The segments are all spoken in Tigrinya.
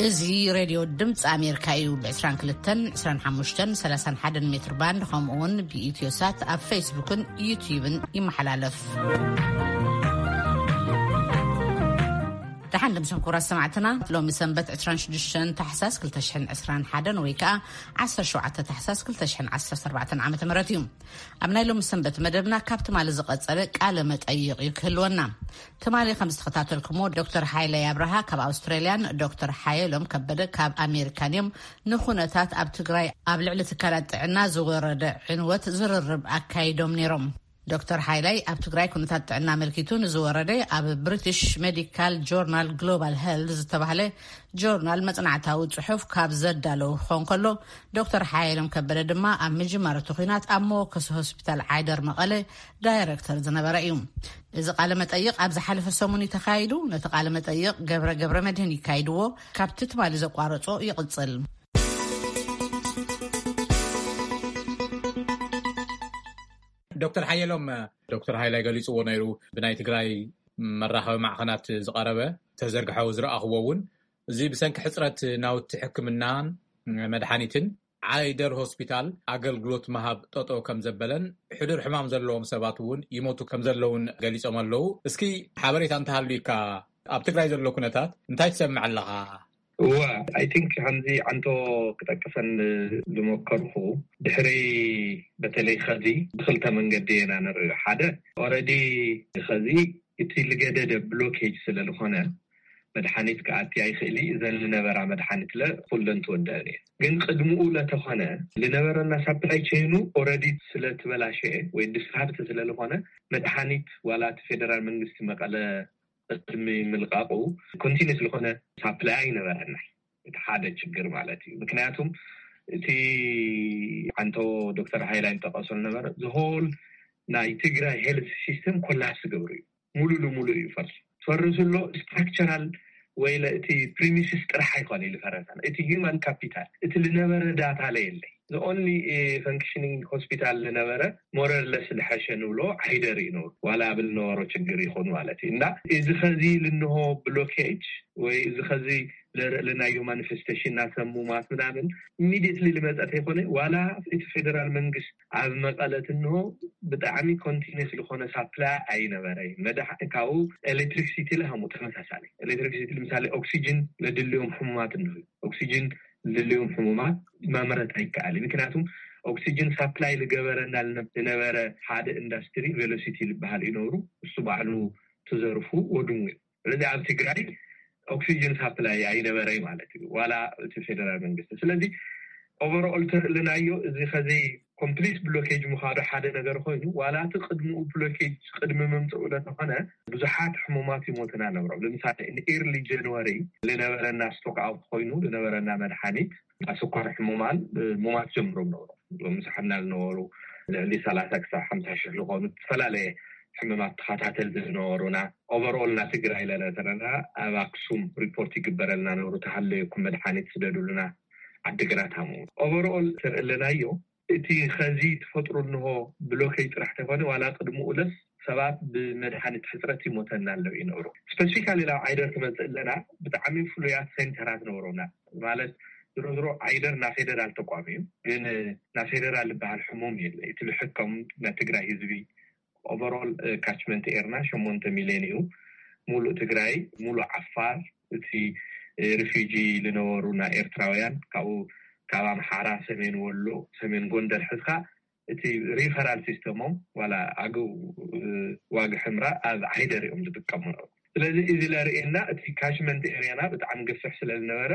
እዚ ሬድዮ ድምፂ ኣሜሪካ እዩ። ብ22፣ 25፣ 31 ሜትር ባንድ፣ ከምኡ እውን ብኢትዮ ሳት ኣብ ፌስቡክን ዩትዩብን ይመሓላለፍ። ደሓን ድምፅን ክቡራት ሰማዕትና፣ ሎሚ ሰንበት 26 ታሕሳስ 2021 ወይ ከዓ 17 ታሕሳስ 2014 ዓ ም እዩ። ኣብ ናይ ሎሚ ሰንበት መደብና ካብ ትማሊ ዝቐጸለ ቃለ መጠይቕ እዩ ክህልወና። ትማሊ ከም ዝተኸታተልኩሞ ዶክተር ሓይለ ኣብርሃ ካብ ኣውስትራልያን ዶክተር ሓየሎም ከበደ ካብ ኣሜሪካን እዮም ንኹነታት ኣብ ትግራይ ኣብ ልዕሊ ትካላት ጥዕና ዝወረደ ዕንወት ዝርርብ ኣካይዶም ነይሮም። ዶክተር ሓይላይ ኣብ ትግራይ ኩነታት ጥዕና ኣመልኪቱ ንዝወረደ ኣብ ብሪቲሽ ሜዲካል ጆርናል ግሎባል ሄልት ዝተባህለ ጆርናል መጽናዕታዊ ጽሑፍ ካብ ዘዳለው ክኾን ከሎ፣ ዶክተር ሓየሎም ከበደ ድማ ኣብ ምጅማር እቲ ኲናት ኣብ መወከሲ ሆስፒታል ዓይደር መቐለ ዳይረክተር ዝነበረ እዩ። እዚ ቃለ መጠይቕ ኣብ ዝሓለፈ ሰሙን እዩ ተኻይዱ። ነቲ ቃለ መጠይቕ ገብረ ገብረ መድህን ይካይድዎ፣ ካብቲ ትማሊ ዘቋረጾ ይቕጽል። ዶክተር ሓየሎም፣ ዶክተር ሓይላይ ገሊጽዎ ነይሩ፣ ብናይ ትግራይ መራኸቢ ማዕኸናት ዝቐረበ ተዘርግሐው ዝረኣኽዎ እውን፣ እዚ ብሰንኪ ሕፅረት ናውቲ ሕክምናን መድሓኒትን ዓይደር ሆስፒታል ኣገልግሎት ምሃብ ጠጠው ከም ዘበለን ሕዱር ሕማም ዘለዎም ሰባት እውን ይሞቱ ከም ዘለውን ገሊጾም ኣለዉ። እስኪ ሓበሬታ እንተሃልዩካ፣ ኣብ ትግራይ ዘሎ ኩነታት እንታይ ትሰምዕ ኣለኻ? እዋ፣ I think ከምዚ ዓንቶ ክጠቅሰን ዝሞከርኩ፣ ድሕሪ በተለይ ኸዚ ብክልተ መንገዲ ኢና ንርእዮ። ሓደ፣ ኦረዲ ኸዚ እቲ ልገደደ ብሎኬጅ ስለ ዝኾነ፣ መድሓኒት ክኣቲ ኣይኽእል እዩ። እዘን ዝነበራ መድሓኒት ለ ኩለን ትወደአን እየን። ግን ቅድምኡ ለተኾነ፣ ዝነበረና ሳፕላይ ቸይኑ ኦረዲ ስለ ትበላሸየ ወይ ዲስራፕት ስለ ዝኾነ፣ መድሓኒት ዋላ እቲ ፌደራል መንግስቲ መቐለ ቅድሚ ምልቃቑ ኮንቲኒስ ዝኾነ ሳፕላይ ኣይነበረና። እቲ ሓደ ችግር ማለት እዩ። ምክንያቱም እቲ ዓንቶ ዶክተር ሃይላይ ጠቀሶ ዝነበረ፣ ዝሆል ናይ ትግራይ ሄልት ሲስተም ኮላፕስ ገብሩ እዩ። ሙሉ ንሙሉ እዩ ፈርሱ። ፈርሱ ኣሎ። ስትራክቸራል ወይ ለ እቲ ፕሪሚስስ ጥራሕ ኣይኮነ ኢሉ ፈረሰና። እቲ ሂውማን ካፒታል፣ እቲ ዝነበረ ዳታ ለ የለ። The only ፈንክሽኒንግ ሆስፒታል ዝነበረ ሞረርለስ ዝሐሸ ንብሎ ዓይደር እዩ ነብሩ። ዋላ ኣብ ዝነበሮ ችግር ይኹን ማለት እዩ። እና እዚ ኸዚ ልንሆ ብሎኬጅ ወይ እዚ ኸዚ ለርእልናዮ ማኒፌስቴሽን ናሰሙማት ምናምን ኢሚዲየትሊ ልመጸት ኣይኮነ። ዋላ እቲ ፌደራል መንግስት ኣብ መቐለት እንሆ ብጣዕሚ ኮንቲኒስ ዝኾነ ሳፕላይ ኣይነበረ። መድሓ-፣ ካብኡ ኤሌክትሪክሲቲ ለሃሙ ተመሳሳሊ ኤሌክትሪክሲቲ፣ ምሳሌ ኦክሲጅን ለድልዮም ሕሙማት እንሆ ኦክሲጅን ለድልዮም ሕሙማት ማምረት ኣይከኣል። ምክንያቱም ኦክሲጅን ሳፕላይ ልገበረና ልነ-፣ ልነበረ ሓደ ኢንዳስትሪ ቬሎሲቲ ልበሃል ይነብሩ፣ እሱ ባዕሉ ተዘርፉ ወድሙ እዩ። ስለዚ ኣብ ትግራይ ኦክሲጅን ሳፕላይ ኣይነበረይ ማለት እዩ፣ ዋላ እቲ ፌደራል መንግስቲ። ስለዚ ኦቨርኦል ተርእልናዮ እዚ ኸዚ ኮምፕሊት ብሎኬጅ ምዃዱ ሓደ ነገር ኮይኑ፣ ዋላ እቲ ቅድሚኡ ብሎኬጅ ቅድሚ ምምፅኡ ለተኾነ ብዙሓት ሕሙማት ይሞትና ነብሮም። ንምሳሌ ንኤርሊ ጃንዋሪ ዝነበረና ስቶክ ኣውት ኮይኑ ዝነበረና መድሓኒት ስኳር ሕሙማን ሙማት ጀምሮም ነብሮም። ምሳሕና ዝነበሩ ልዕሊ ሰላሳ ክሳብ ሓምሳ ሽሕ ዝኾኑ ዝተፈላለየ ሕሙማት ተኸታተልቲ ዝነበሩና፣ ኦቨርኦል ና ትግራይ ለነተረና ኣብ ኣክሱም ሪፖርት ይግበረልና ነብሩ፣ ተሃለየኩም መድሓኒት ስደዱልና፣ ዓዲግራት ሃሙ። ኦቨርኦል ተርእለናዮ እቲ ኸዚ ተፈጥሮ እንሆ ብሎኬጅ ጥራሕ ተኾነ፣ ዋላ ቅድሚ ኡለስ ሰባት ብመድሓኒት ሕፅረት ይሞተና ኣለዉ ይነብሩ። ስፐሲፊካሊ ናብ ዓይደር ትመፅእ ኣለና፣ ብጣዕሚ ፍሉያት ሴንተራት ነብሮና። ማለት ዝሮ ዝሮ ዓይደር ና ፌደራል ተቋም እዩ፣ ግን ና ፌደራል ዝበሃል ሕሙም የለ። እቲ ልሕከም ናይ ትግራይ ህዝቢ ኦቨርኦል ካችመንት ኤርና ሸሞንተ ሚልዮን እዩ። ሙሉእ ትግራይ፣ ሙሉእ ዓፋር፣ እቲ ሪፊጂ ዝነበሩ ናይ ኤርትራውያን ካብኡ ካብ ኣምሓራ፣ ሰሜን ወሎ፣ ሰሜን ጎንደር ሕዝካ እቲ ሪፈራል ሲስተሞም ዋላ ኣገው ዋግ ሕምራ ኣብ ዓይደር እዮም ዝጥቀሙ ነበሩ። ስለዚ እዚ ለርእየና እቲ ካችመንት ኤሪያና ብጣዕሚ ገፍሕ ስለ ዝነበረ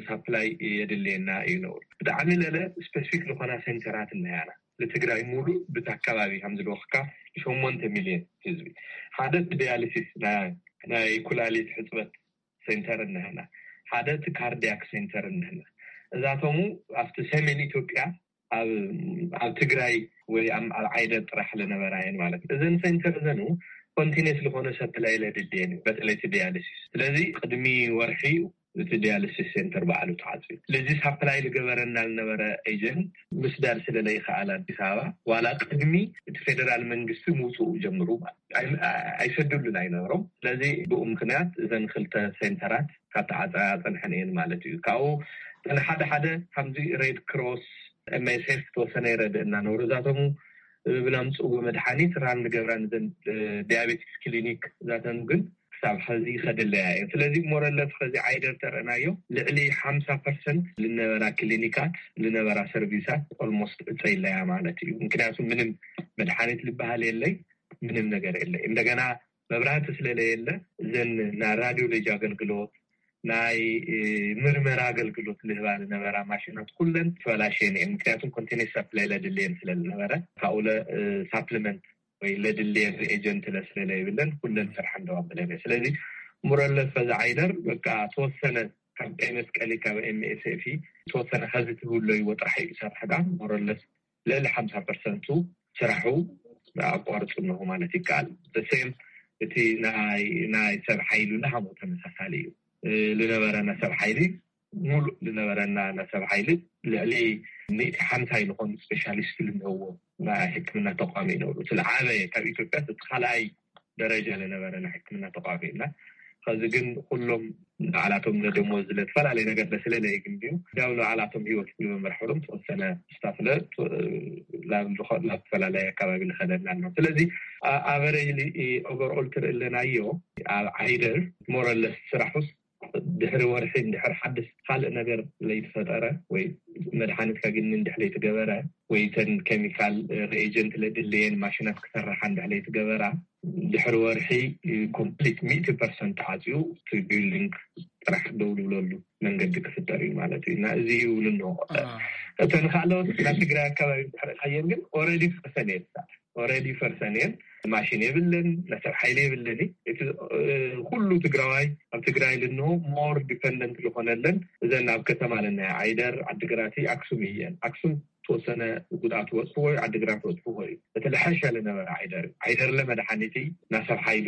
ሳፕላይ የድልየና እዩ ነብሩ። ብጣዕሚ ለለ ስፔሲፊክ ዝኾና ሴንተራት እነያና ንትግራይ ሙሉ ብቲ ኣካባቢ ከም ዝልወክካ ሸሞንተ ሚልዮን ህዝቢ ሓደ እቲ ዲያሊሲስ ናይ ኩላሊት ሕፅበት ሴንተር እነህና ሓደ እቲ ካርዲያክ ሴንተር እነህና እዛቶሙ ኣብቲ ሰሜን ኢትዮጵያ ኣብ ትግራይ ወይ ኣብ ዓይደር ጥራሕ ለነበራ እየን ማለት እዘን ሴንተር እዘኑ ኮንቲኒስ ዝኾነ ሰፕላይ ለድልየን በተለይ እቲ ዲያሊሲስ ስለዚ ቅድሚ ወርሒ እቲ ዲያሊሲስ ሴንተር ባዕሉ ተዓፅዩ። ስለዚ ሳፕላይ ዝገበረና ዝነበረ ኤጀንት ምስዳድ ስለ ዘይከኣል ኣዲስ ኣበባ ዋላ ቅድሚ እቲ ፌደራል መንግስቲ ምውፅኡ ጀምሩ ማለት ኣይሰዱሉን ኣይነበሮም። ስለዚ ብኡ ምክንያት እዘን ክልተ ሴንተራት ካብ ተዓፀያ ፀንሐን እየን ማለት እዩ። ካብኡ ሓደ ሓደ ከምዚ ሬድ ክሮስ፣ ኤምኤስኤፍ ዝተወሰነ ይረድእና ነብሩ ዛቶም ብናምፅእዎ መድሓኒት ራን ንገብራ ንዘን ዲያቤቲክስ ክሊኒክ ዛተን ግን ክሳብ ሐዚ ይኸደለያ እየን። ስለዚ ሞረለስ ከዚ ዓይደር ተረእናዮ ልዕሊ ሓምሳ ፐርሰንት ልነበራ ክሊኒካት ልነበራ ሰርቪሳት ኦልሞስት ዕፀ ይለያ ማለት እዩ። ምክንያቱ ምንም መድሓኒት ዝበሃል የለይ፣ ምንም ነገር የለይ። እንደገና መብራህቲ ስለለየለ እዘን ናይ ራዲዮሎጂ ኣገልግሎት ናይ ምርመራ ኣገልግሎት ልህባ ዝነበራ ማሽናት ኩለን ተበላሸን እየን። ምክንያቱም ኮንቲኒስ ሳፕላይ ለድልየን ስለዝነበረ ካብኡለ ሳፕሊመንት ወይ ለድልየን ኤጀንት ለስለለ ይብለን ኩለን ስራሕ እንደዋበለን እየ። ስለዚ ሙረለስ ፈዚ ዓይደር በቃ ተወሰነ ካብ ቀይ መስቀሊ ካብ ኤምኤስኤፍ ተወሰነ ከዚ ትብሎ ይዎ ጥራሕ እዩ ዝሰርሕ ዳ ሞረለስ ልዕሊ ሓምሳ ፐርሰንቱ ስራሑ ኣቋርፁ ኣለኹ ማለት ይከኣል። ሴም እቲ ናይ ሰብ ሓይሉ ናሃሞ ተመሳሳሊ እዩ። ዝነበረና ሰብ ሓይሊ ሙሉእ ዝነበረና ሰብ ሓይሊ ልዕሊ ሚእቲ ሓምሳ ዝኾኑ ስፔሻሊስት ዝነበርዎ ናይ ሕክምና ተቋም ይነብሩ። እቲ ዝዓበየ ካብ ኢትዮጵያ እቲ ካልኣይ ደረጃ ዝነበረ ናይ ሕክምና ተቋም ኢና። ከዚ ግን ኩሎም ንባዕላቶም ነደሞዝ ዝተፈላለዩ ነገር ስለለየ ግን ድዩ ያው ንባዕላቶም ህይወት ንምምራሕ ብሎም ተወሰነ ስታፍ ናብ ዝተፈላለዩ ኣካባቢ ንኸደና ኣሎ። ስለዚ ኣቨሬጅ ኦቨርኦል ትርኢ ኣለናዮ ኣብ ዓይደር ሞረለስ ስራሕ ውስጥ ድሕሪ ወርሒ እንድሕር ሓድሽ ካልእ ነገር ለይተፈጠረ ወይ መድሓኒት ከግኒ እንድሕር ለይተገበረ ወይ ተን ኬሚካል ሬኤጀንት ለድልየን ማሽናት ክሰርሓ እንድሕር ለይተገበራ ድሕሪ ወርሒ ኮምፕሊት ሚእቲ ፐርሰንት ተዓፅዩ እቲ ቢልዲንግ ጥራሕ ደው ዝብለሉ መንገዲ ክፍጠር እዩ ማለት እዩ። እና እዚ እዩ ንንሆ እተን ካልኦት ናብ ትግራይ ኣካባቢ ድሕሪ ሓየን ግን ኦረዲ ፈርሰን እየን። ኦረዲ ፈርሰን እየን። ማሽን የብለን፣ ናይ ሰብ ሓይሊ የብለን። እቲ ኩሉ ትግራዋይ ኣብ ትግራይ ልንሆ ሞር ዲፐንደንት ዝኾነለን እዘን ኣብ ከተማ ለናይ ዓይደር፣ ዓዲግራቲ፣ ኣክሱም እየን። ኣክሱም ተወሰነ ጉድኣት ወፅፍዎ እዩ፣ ዓዲግራት ወፅፍዎ እዩ። እቲ ልሐሸ ለነበረ ዓይደር እዩ። ዓይደር ለመድሓኒት ናሰብ ሓይሉ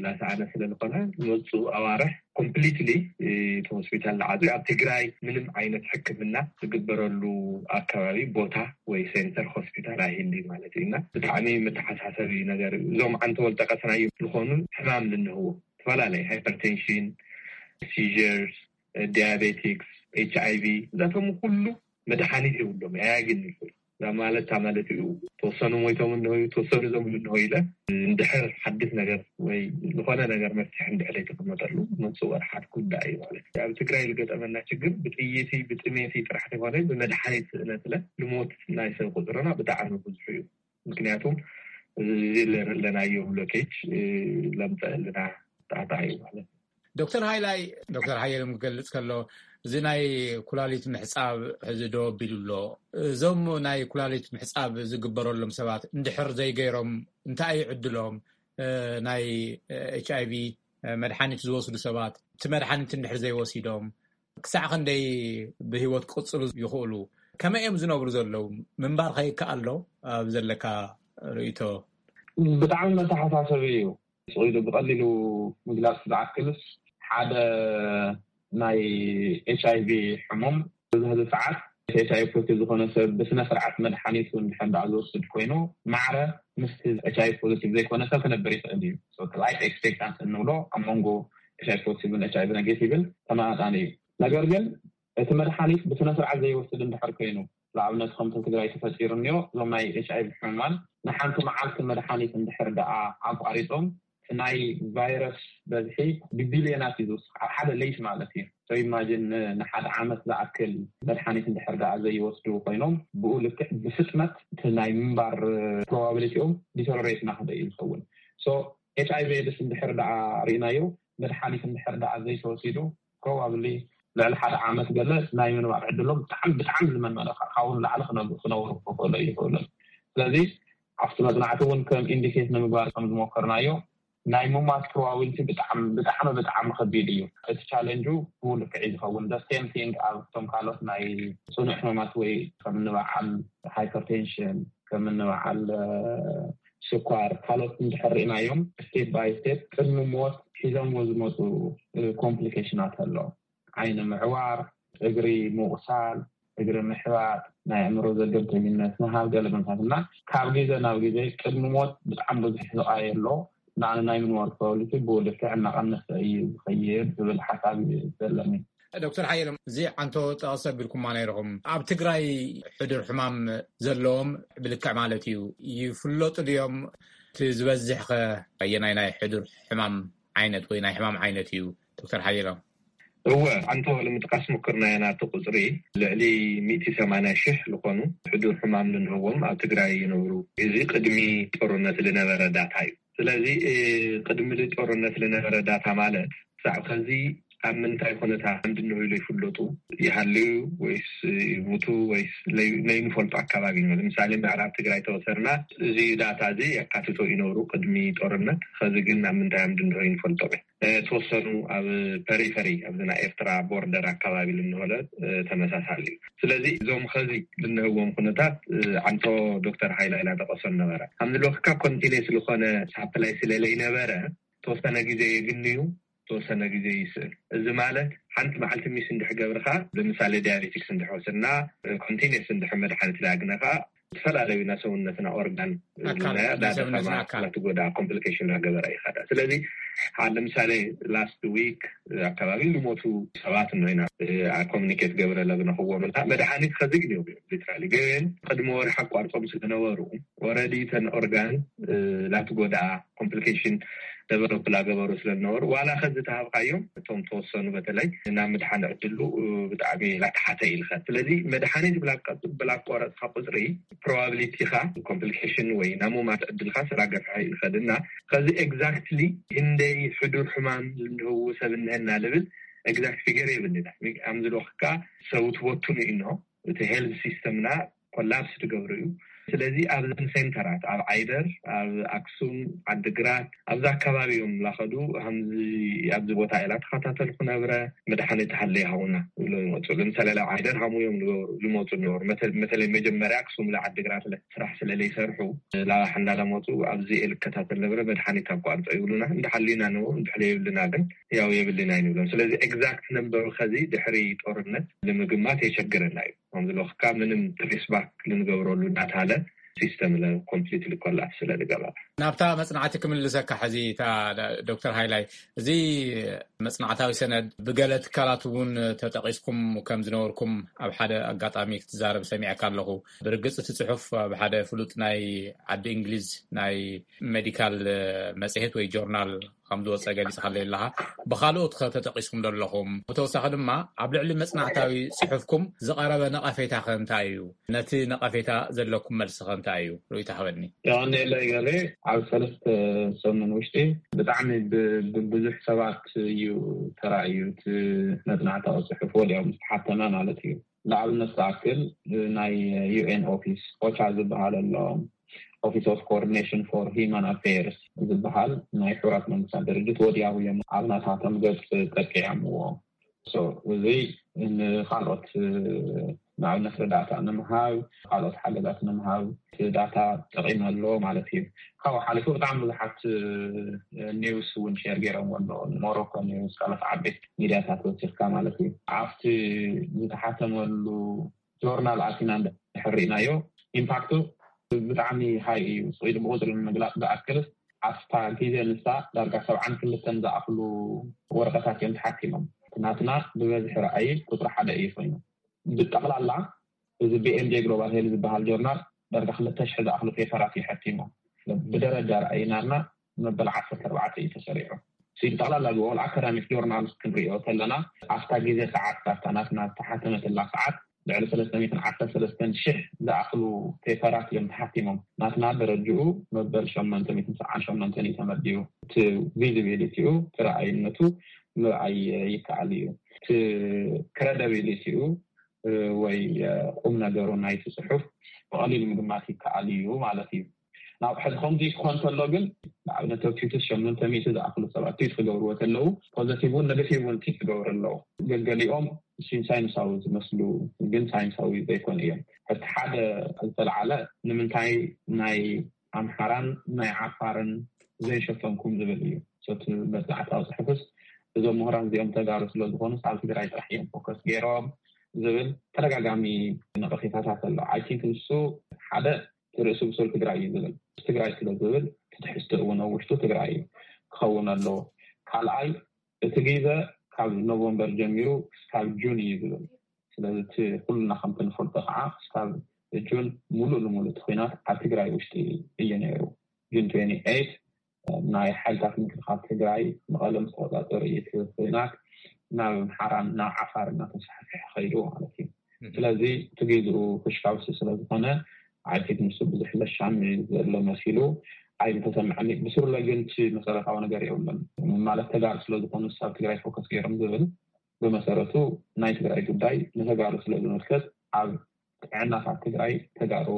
ላሰኣነ ስለዝኾነ ዝመፁ ኣዋርሕ ኮምፕሊትሊ እቲ ሆስፒታል ንዓፂ ኣብ ትግራይ ምንም ዓይነት ሕክምና ዝግበረሉ ኣካባቢ ቦታ ወይ ሴንተር ሆስፒታል ኣይህሊ ማለት እዩ። እና ብጣዕሚ መተሓሳሰቢ ነገር እዩ። እዞም ዓንተ ወልጠቀስናዩ ዝኾኑ ሕማም ልንህዎ ዝተፈላለዩ ሃይፐርቴንሽን፣ ሲጀርስ፣ ዲያቤቲክስ፣ ኤች ኣይቪ እዛቶም ኩሉ መድሓኒት የብሎም ኣያግን ይኽእል ማለት ታ ማለት እዩ። ተወሰኑ ሞይቶም እንሆዩ ተወሰኑ ዘምሉ እንሆ ኢለ እንድሕር ሓድሽ ነገር ወይ ዝኾነ ነገር መፍትሒ እንድሕር ዘይተቀመጠሉ መፅእ ወርሓት ጉዳይ እዩ ማለት እዩ። ኣብ ትግራይ ዝገጠመና ችግር ብጥይቲ ብጥሜቲ ጥራሕ ተይኮነ ብመድሓኒት ስእነትለ ልሞት ናይ ሰብ ቁፅርና ብጣዕሚ ብዙሑ እዩ። ምክንያቱም እዚ ለናዮ ብሎኬጅ ለምፀእልና ጣጣ እዩ ማለት እዩ። ዶክተር ሃይላይ ዶክተር ሃየሎም ክገልፅ ከሎ እዚ ናይ ኩላሊት ምሕፃብ ሕዚ ደወ ኣቢሉ ኣሎ። እዞም ናይ ኩላሊት ምሕፃብ ዝግበረሎም ሰባት እንድሕር ዘይገይሮም እንታይ እዩ ዕድሎም? ናይ ኤች ኣይቪ መድሓኒት ዝወስዱ ሰባት እቲ መድሓኒት እንድሕር ዘይወሲዶም ክሳዕ ክንደይ ብህይወት ክቕፅሉ ይኽእሉ? ከመይ እዮም ዝነብሩ ዘለዉ? ምንባር ከይከኣል ዶ? ኣብ ዘለካ ርእይቶ። ብጣዕሚ መተሓሳሰቢ እዩ። ስቕ ኢሉ ብቐሊሉ ምግላፅ ዝኣክልስ ሓደ ናይ ኤች ኣይቪ ሕሙም ብዙሕ ሰዓት ኤች ኣይቪ ፖዚቲቭ ዝኾነ ሰብ ብስነ ስርዓት መድሓኒቱ እንድሕር ደኣ ዝወስድ ኮይኑ ማዕረ ምስቲ ኤች ኣይቪ ፖዚቲቭ ዘይኮነ ሰብ ክነብር ይኽእል እዩ። ላይፍ ኤክስፔክታንሲ እንብሎ ኣብ መንጎ ኤች ኣይቪ ፖዚቲቭን ኤች ኣይቪ ኔጌቲቭን ተመጣጣኒ እዩ። ነገር ግን እቲ መድሓኒት ብስነ ስርዓት ዘይወስድ እንድሕር ኮይኑ ንኣብነት ከምቲ ትግራይ ተፈጢሩ እኒኦ እዞም ናይ ኤች ኣይቪ ሕሙማን ንሓንቲ መዓልቲ መድሓኒት እንድሕር ደኣ ኣቋሪፆም ናይ ቫይረስ በዝሒ ብቢልዮናት እዩ ዝውስኽ ኣብ ሓደ ለይቲ ማለት እዩ። ኢማጂን ንሓደ ዓመት ዝኣክል መድሓኒት እንድሕር ደኣ ዘይወስዱ ኮይኖም ብኡ ልክዕ ብፍጥነት እቲ ናይ ምንባር ፕሮባብሊቲኦም ዲተሮሬት እናኸደ እዩ ዝኸውን። ኤች ኣይቪ ኤድስ እንድሕር ደኣ ርኢናዮ መድሓኒት እንድሕር ደኣ ዘይተወሲዱ ፕሮባብሊ ልዕሊ ሓደ ዓመት ገለ ናይ ምንባር ዕድሎም ብጣዕሚ ብጣዕሚ ዝመንመነ ካብኡ ንላዕሊ ክነብሩ ክነብሩ ክኽእሉ ይኽእሉ። ስለዚ ኣብቲ መፅናዕቲ እውን ከም ኢንዲኬት ንምግባር ከም ዝሞከርናዮ ናይ ምማት ፕሮባብሊቲ ብጣዕሚ ብጣዕሚ ብጣዕሚ ከቢድ እዩ። እቲ ቻለንጁ ብኡ ልክዕ እዩ ዝኸውን። The same thing ኣብቶም ካልኦት ናይ ፅኑዕ ሕማማት ወይ ከም ንበዓል ሃይፐርቴንሽን ከም ንበዓል ስኳር ካልኦት እንድሕር ርኢናዮም ስቴፕ ባይ ስቴፕ ቅድሚ ሞት ሒዞምዎ ዝመፁ ኮምፕሊኬሽናት ኣሎ። ዓይኒ ምዕዋር፣ እግሪ ምቑሳል፣ እግሪ ምሕባጥ፣ ናይ ኣእምሮ ዘገምተኝነት ምሃብ፣ ገለ ምንታት እና ካብ ግዜ ናብ ግዜ ቅድሚ ሞት ብጣዕሚ ብዙሕ ዝቓየ ኣሎ። ንዓና ናይ ምንዋር ፕሮባብሊቲ ብልክዕ እናቐነሰ እዩ ዝኸይድ ዝብል ሓሳብ እዩ ዘለኒ። ዶክተር ሓየሎም፣ እዚ ዓንቶ ጠቐስ ኣቢልኩማ ነይርኹም። ኣብ ትግራይ ሕዱር ሕማም ዘለዎም ብልክዕ ማለት እዩ ይፍለጡ ድዮም? እቲ ዝበዝሕ ኸ ኣየናይ ናይ ሕዱር ሕማም ዓይነት ወይ ናይ ሕማም ዓይነት እዩ? ዶክተር ሓየሎም። እወ፣ ዓንቶ ንምጥቃስ ምክርናዮ ናቲ ቁፅሪ ልዕሊ ሚእቲ ሰማንያ ሺሕ ዝኾኑ ሕዱር ሕማም ልንህዎም ኣብ ትግራይ ይነብሩ። እዚ ቅድሚ ጦርነት ልነበረ ዳታ እዩ። ስለዚ እ፣ ቅድሚ ጦርነት ልነበረ ዳታ ማለት ሳዕ ከዚ ኣብ ምንታይ ኩነታ ከም ድንህሉ ይፍለጡ ይሃልዩ ወይስ ይሙቱ ወይስ ለይ-፣ ነይንፈልጦ ኣካባቢ እዩ። ንምሳሌ ምዕራብ ትግራይ ተወሰድና እዚ ዳታ እዚ የካትቶ ይነብሩ ቅድሚ ጦርነት። ከዚ ግን ኣብ ምንታይ ከም ድንህሉ ይንፈልጦ። እ፣ ተወሰኑ ኣብ ፐሪፈሪ ኣብዚ ናይ ኤርትራ ቦርደር ኣካባቢ ልንሆለ እ፣ ተመሳሳሊ እዩ። ስለዚ እዞም ከዚ ልንህዎም ኩነታት እ፣ ዓንቶ ዶክተር ሃይላ ኢላ ጠቀሶ ነበረ። ከም ዝለወክካ ኮንቲኔስ ዝኾነ ሳፕላይ ስለለይነበረ ተወሰነ ግዜ የግንዩ፣ ተወሰነ ግዜ ይስእል። እዚ ማለት ሓንቲ መዓልቲ ሚስ እንድሕ ገብርካ፣ ብምሳሌ ዲያቤቲክስ እንድሕ ወስድና፣ ኮንቲኒስ እንድሕ መድሓኒት ዳግነካ፣ ዝተፈላለዩ ናይ ሰውነትና ኦርጋን ኣካል፣ ናይ ዳታ ሰውነትና ኣካል። ትጎዳ ኮምፕሊኬሽን እናገበረ ይኸዳ። ስለዚ ሓደ ምሳሌ ላስት ዊክ ኣካባቢ ዝሞቱ ሰባት እንሆ ኢና ኮሚኒኬት ገብረ ለብነክዎም እና መድሓኒት ከዝግ እዮም ሊትራሊ ግን ቅድሚ ወርሒ ኣቋርጾም ስለነበሩ ኦረዲ ተን ኦርጋን ላትጎዳ ኮምፕሊኬሽን ደቨሎፕ ላገበሩ ስለዝነበሩ ዋላ ከዚ ተሃብካዮም እቶም ተወሰኑ በተለይ ናብ ምድሓን ዕድሉ ብጣዕሚ ላተሓተ ይልኸድ። ስለዚ መድሓኒት ብላቆረፅካ ቁፅሪ ፕሮባብሊቲካ ኮምፕሊኬሽን ወይ ናሙማት ዕድልካ ስላገፍሐ ይልኸድ እና ከዚ ኤግዛክትሊ ህንደይ ሕዱር ሕማም ዝንህው ሰብ እንህና ልብል ኤግዛክት ፊገር የብልና። ኣምዝለክካ ሰው ትወቱኑ ኢኖ እቲ ሄልዝ ሲስተምና ኮላፕስ ትገብሩ እዩ። ስለዚ ኣብዘን ሴንተራት ኣብ ዓይደር፣ ኣብ ኣክሱም፣ ዓድግራት ኣብዚ ኣካባቢ እዮም ላኸዱ። ከምዚ ኣብዚ ቦታ ኢላ ተኸታተልኩ ነብረ መድሓኒት ሃለ ይሃውና ይብሎ ይመፁ። ለምሳሌ ኣብ ዓይደር ሃሙ እዮም ዝመፁ ነበሩ። መተለይ መጀመርያ ኣክሱም ለዓድግራት ስራሕ ስለለይሰርሑ ላባሕ እንዳለመፁ ኣብዚ ልከታተል ነብረ መድሓኒት ኣቋርጦ ይብሉና። እንዳሓሊና ንብሎም እንድሕለ የብልና ግን ያው የብልና ይንብሎም። ስለዚ ኤግዛክት ነንበሩ ከዚ ድሕሪ ጦርነት ንምግማት የቸግረና እዩ። ከምዝለክካ ምንም ትሬስባክ ልንገብረሉ እናተሃለ ሲስተም ኮምፕሊትሊ ኮላፕስ ስለዝገበረ ናብታ መፅናዕቲ ክምልሰካ ሕዚ እታ ዶክተር ሃይላይ እዚ መፅናዕታዊ ሰነድ ብገለ ትካላት እውን ተጠቂስኩም ከም ዝነበርኩም ኣብ ሓደ ኣጋጣሚ ክትዛረብ ሰሚዐካ ኣለኹ። ብርግፅ እቲ ፅሑፍ ኣብ ሓደ ፍሉጥ ናይ ዓዲ እንግሊዝ ናይ ሜዲካል መፅሄት ወይ ጆርናል ከም ዝወፀ ገሊፅካለይ ኣለካ። ብካልኦት ከ ተጠቂስኩም ዶ ኣለኹም? ብተወሳኺ ድማ ኣብ ልዕሊ መፅናዕታዊ ፅሑፍኩም ዝቐረበ ነቐፌታ ከ እንታይ እዩ? ነቲ ነቐፌታ ዘለኩም መልሲ ከ እንታይ እዩ? ርእይቶ ሃበኒ። የቐንየለይ ገለ ኣብ ሰለስተ ሰሙን ውሽጢ ብጣዕሚ ብብዙሕ ሰባት እዩ ተራእዩ እቲ መፅናዕታዊ ፅሑፍ ወዲያው ምስ ተሓተመ ማለት እዩ። ንኣብነት ዝኣክል ናይ ዩኤን ኦፊስ ኦቻ ዝበሃል ኣሎ፣ ኦፊስ ኦፍ ኮኦርዲኔሽን ፎር ሂማን ኣፌርስ ዝበሃል ናይ ሕቡራት መንግስታት ድርጅት ወዲያው እዮም ኣብ ናታቶም ገፅ ጠቂዖምዎ። እዚ ንካልኦት ንኣብነት ረዳእታ ንምሃብ ካልኦት ሓገዛት ንምሃብ ዳታ ጠቂመ ኣሎ ማለት እዩ። ካብኡ ሓሊፉ ብጣዕሚ ብዙሓት ኒውስ እውን ሼር ገይሮም ኣሎ። ሞሮኮ ኒውስ ካልኦት ዓበይቲ ሚድያታት ወሲድካ ማለት እዩ። ኣብቲ ዝተሓተመሉ ጆርናል ኣቲና እንድሕር ርኢናዮ ኢምፓክቱ ብጣዕሚ ሃይ እዩ። ስኢሉ ብቁፅሪ ንምግላፅ ዝኣክል ኣብታ ግዜ ንሳ ዳርጋ ሰብዓን ክልተን ዝኣኽሉ ወረቀታት እዮም ተሓቲሞም። ናትና ብበዝሒ ረኣይ ቁፅሪ ሓደ እዩ ኮይኑ ብጠቕላላ እዚ ቢኤምዴ ግሎባል ሄል ዝበሃል ጆርናል ዳርጋ ክልተ ሽሕ ዝኣኽሉ ፔፐራት እዩ ሓቲሞም። ብደረጃ ረኣይ ናርና መበል ዓሰርተ ኣርባዕተ እዩ ተሰሪዑ። ብጠቕላላ ዝወል ኣካዳሚክ ጆርናል ክንሪኦ ከለና ኣብታ ግዜ ሰዓት ኣብታ ናትና ዝተሓተመትላ ሰዓት ልዕሊ ሰለስተ ሚእትን ዓሰርተ ሰለስተን ሽሕ ዝኣኽሉ ፔፐራት እዮም ተሓቲሞም። ናትና ደረጅኡ መበል ሸሞንተ ሚእትን ሰብዓን ሸሞንተን እዩ ተመዲቡ። እቲ ቪዚቢሊቲኡ፣ እቲ ረኣይነቱ ምርኣይ ይከኣል እዩ። እቲ ክረደቢሊቲኡ ወይ ቁም ነገሩ ናይቲ ፅሑፍ ብቐሊሉ ምግማት ይከኣል እዩ ማለት እዩ። ናብ ሕዚ ከምዚ ክኾን ከሎ ግን ንኣብነት ኣብ ትዊትስ ሸሞንተ ሚእቲ ዝኣኽሉ ሰባት ትዊት ክገብርዎ ከለዉ ፖዘቲቭ እውን ነገቲቭ እውን ትዊት ክገብሩ ኣለዉ። ገገሊኦም ሳይንሳዊ ዝመስሉ ግን ሳይንሳዊ ዘይኮኑ እዮም። ሕቲ ሓደ ዝተለዓለ ንምንታይ ናይ ኣምሓራን ናይ ዓፋርን ዘይሸፈንኩም ዝብል እዩ። እቲ መፅናዕታዊ ፅሑፍስ እዞም ምሁራን እዚኦም ተጋሩ ስለዝኾኑ ኣብ ትግራይ ጥራሕ እዮም ፎከስ ገይሮም ዝብል ተደጋጋሚ ነቐፌታታት ኣሎ። I think ንሱ ሓደ እቲ ርእሱ ብሱር ትግራይ እዩ ዝብል፣ ትግራይ ስለ ዝብል እቲ ትሕዝቶ እውን ኣብ ውሽጡ ትግራይ እዩ ክኸውን ኣለዎ። ካልኣይ እቲ ግዜ ካብ ኖቨምበር ጀሚሩ ክሳብ ጁን እዩ ዝብል። ስለዚ እቲ ኩልና ከምቲ ንፈልጦ ከዓ ክሳብ ጁን ሙሉእ ንሙሉእ እቲ ኲናት ኣብ ትግራይ ውሽጢ እዩ ነይሩ። ጁን ትዌንቲ ኤይት ናይ ሓይልታት ምክልኻል ትግራይ መቐለ ምስ ተቆፃፀሩ እዩ እቲ ኲናት ናብ ኣምሓራን ናብ ዓፋር እናተስፋሕፈሐ ከይዱ ማለት እዩ። ስለዚ እቲ ግዜኡ ክሽካውሲ ስለዝኾነ I think ንሱ ብዙሕ ለሻሚ ዘሎ መሲሉ ኣይምተሰምዐኒ። ብስሩ ላይ ግን እቲ መሰረታዊ ነገር የብሉን ማለት ተጋሩ ስለዝኾኑ ኣብ ትግራይ ፎከስ ገይሮም ዝብል ብመሰረቱ ናይ ትግራይ ጉዳይ ንተጋሩ ስለዝምልከት ኣብ ጥዕናታት ትግራይ ተጋሩ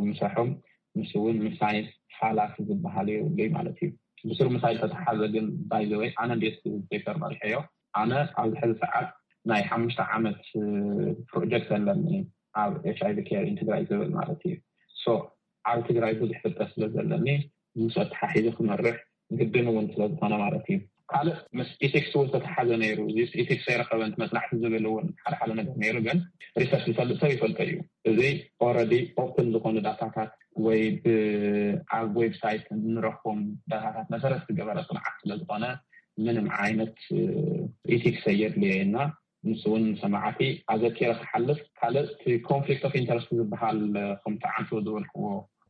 ምሳሖም ምስ እውን ምሳይ ሓላፊ ዝበሃል የብሉይ ማለት እዩ። ብስሩ ምሳይ ተተሓዘ ግን by the way ኣነ እንዴት ፔፐር መሪሐዮ። ኣነ ኣብዚ ሕዚ ሰዓት ናይ ሓሙሽተ ዓመት ፕሮጀክት ኣለኒ ኣብ ኤች ኣይ ቪ ኬር ኢን ትግራይ ዝብል ማለት እዩ። So ኣብ ትግራይ ብዙሕ ፍልጠት ስለ ዘለኒ ምስ ኣተሓሒዘ ክመርሕ ግድን እውን ስለዝኾነ ማለት እዩ። ካልእ ምስ ኢቴክስ እውን ተተሓዘ ነይሩ። እዚ ኢቴክስ ኣይረኸበን መፅናዕቲ ዝብል እውን ሓደ ሓደ ነገር ነይሩ። ግን ሪሰርች ዝፈልጥ ሰብ ይፈልጦ እዩ። እዚ ኦረዲ ኦፕን ዝኾኑ ዳታታት ወይ ኣብ ዌብሳይት እንረኽቦም ዳታታት መሰረት ዝገበረ ፅንዓት ስለዝኾነ ምንም ዓይነት ኢቲክስ ኣየድልየና። ንሱ እውን ሰማዕቲ ኣዘኪረ ክሓልፍ ካልእ እቲ ኮንፍሊክት ኦፍ ኢንተረስት ዝበሃል ከምቲ ዓንቶ ዝበልክዎ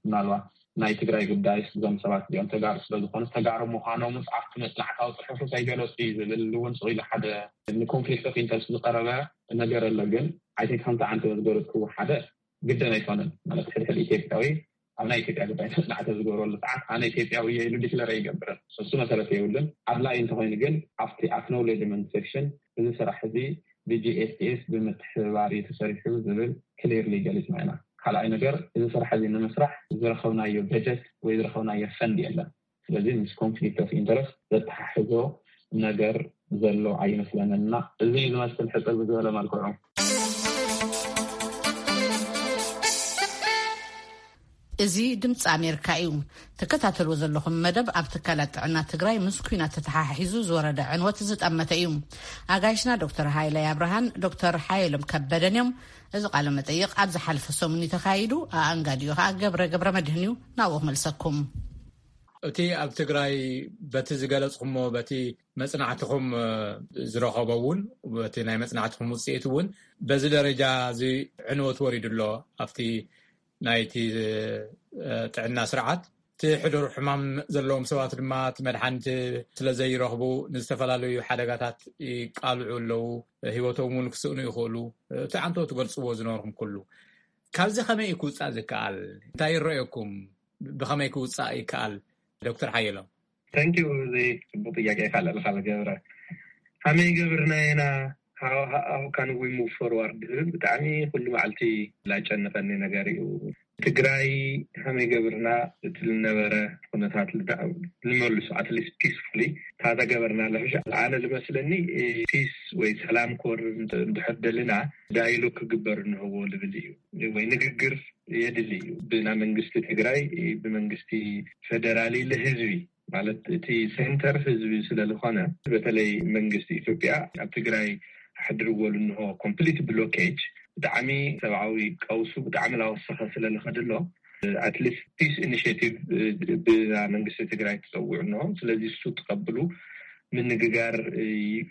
ምናልባት ናይ ትግራይ ጉዳይ እዞም ሰባት እዚኦም ተጋሩ ስለዝኾኑ ተጋሩ ምዃኖም ኣብቲ መፅናዕታዊ ፅሑፉ ኣይገለፁ እዩ ዝብል እውን ስቕ ኢሉ ሓደ ንኮንፍሊክት ኦፍ ኢንተረስት ዝቀረበ ነገር ኣሎ። ግን ኣይቲንክ ከምቲ ዓንቶ ዝገለፅክዎ ሓደ ግደን ኣይኮነን ማለት ሕድሕድ ኢትዮጵያዊ ኣብ ናይ ኢትዮጵያ ጉዳይ መፅናዕቲ ዝገብረሉ ሰዓት ኣነ ኢትዮጵያዊ እየ ኢሉ ዲክለር ኣይገብርን። እሱ መሰረት የብሉን። ኣድላይ እንተኮይኑ ግን ኣብቲ ኣክኖሌጅመንት ሴክሽን እዚ ስራሕ እዚ ብጂ ኤስ ቲ ኤስ ብምትሕብባር እዩ ተሰሪሑ ዝብል ክሊርሊ ገሊፅና ኢና። ካልኣይ ነገር እዚ ስራሕ እዚ ንምስራሕ ዝረኸብናዮ በጀት ወይ ዝረኸብናዮ ፈንድ የለን። ስለዚ ምስ ኮንፍሊክት ኦፍ ኢንተረስት ዘተሓሕዞ ነገር ዘሎ ኣይመስለንን እና እዚ እዩ ዝመስል ሕፅር ብዝበለ መልክዑ። እዚ ድምፂ ኣሜሪካ እዩ። ትከታተልዎ ዘለኹም መደብ ኣብ ትካላት ጥዕና ትግራይ ምስ ኲናት ተተሓሒዙ ዝወረደ ዕንወት ዝጠመተ እዩ። ኣጋይሽና ዶክተር ሃይላይ ኣብርሃን ዶክተር ሓየሎም ከበደን እዮም። እዚ ቃለ መጠይቕ ኣብ ዝሓለፈ ሰሙን እዩ ተኻይዱ። ኣኣንጋዲኡ ከዓ ገብረ ገብረ መድህን እዩ። ናብኡ ክመልሰኩም። እቲ ኣብ ትግራይ በቲ ዝገለፅኩሞ በቲ መፅናዕትኹም ዝረኸቦ እውን በቲ ናይ መፅናዕትኹም ውፅኢት እውን በዚ ደረጃ እዚ ዕንወት ወሪዱ ኣሎ ኣብቲ ናይቲ ጥዕና ስርዓት። እቲ ሕዱር ሕማም ዘለዎም ሰባት ድማ እቲ መድሓኒት ስለዘይረኽቡ ንዝተፈላለዩ ሓደጋታት ይቃልዑ ኣለዉ። ህይወቶም እውን ክስእኑ ይኽእሉ። እቲ ዓንቶ ትገልፅዎ ዝነበርኩም ኩሉ ካብዚ ከመይ እዩ ክውፃእ ዝከኣል? እንታይ ይረአየኩም? ብኸመይ ክውፃእ ይከኣል? ዶክተር ሓየሎም። Thank you። እዚ ፅቡቅ ጥያቄ ካልኣልካ ገብረ ከመይ ገብርና ኢና how can we move forward ዝብል ብጣዕሚ ኩሉ መዓልቲ ላጨንቀኒ ነገር እዩ። ትግራይ ከመይ ገብርና እቲ ዝነበረ ኩነታት ንመልሱ ኣትሊስት ፒስፉሊ ታተገበርና ለሕሽ ኣነ ዝመስለኒ ፒስ ወይ ሰላም ክወርድ እንድሕር ደልና ዳይሎግ ክግበር እንህዎ ልብል እዩ ወይ ንግግር የድሊ እዩ። ብና መንግስቲ ትግራይ ብመንግስቲ ፌደራሊ ለህዝቢ ማለት እቲ ሴንተር ህዝቢ ስለዝኾነ በተለይ መንግስቲ ኢትዮጵያ ኣብ ትግራይ ኣሕድርዎ ልንሆ ኮምፕሊት ብሎኬጅ ብጣዕሚ ሰብኣዊ ቀውሱ ብጣዕሚ ላወሰኸ ስለልኸድሎ ኣትሊስት ፒስ ኢኒሽቲቭ ብና መንግስቲ ትግራይ ትፀውዑ እንሆ። ስለዚ እሱ ትቐብሉ ምንግጋር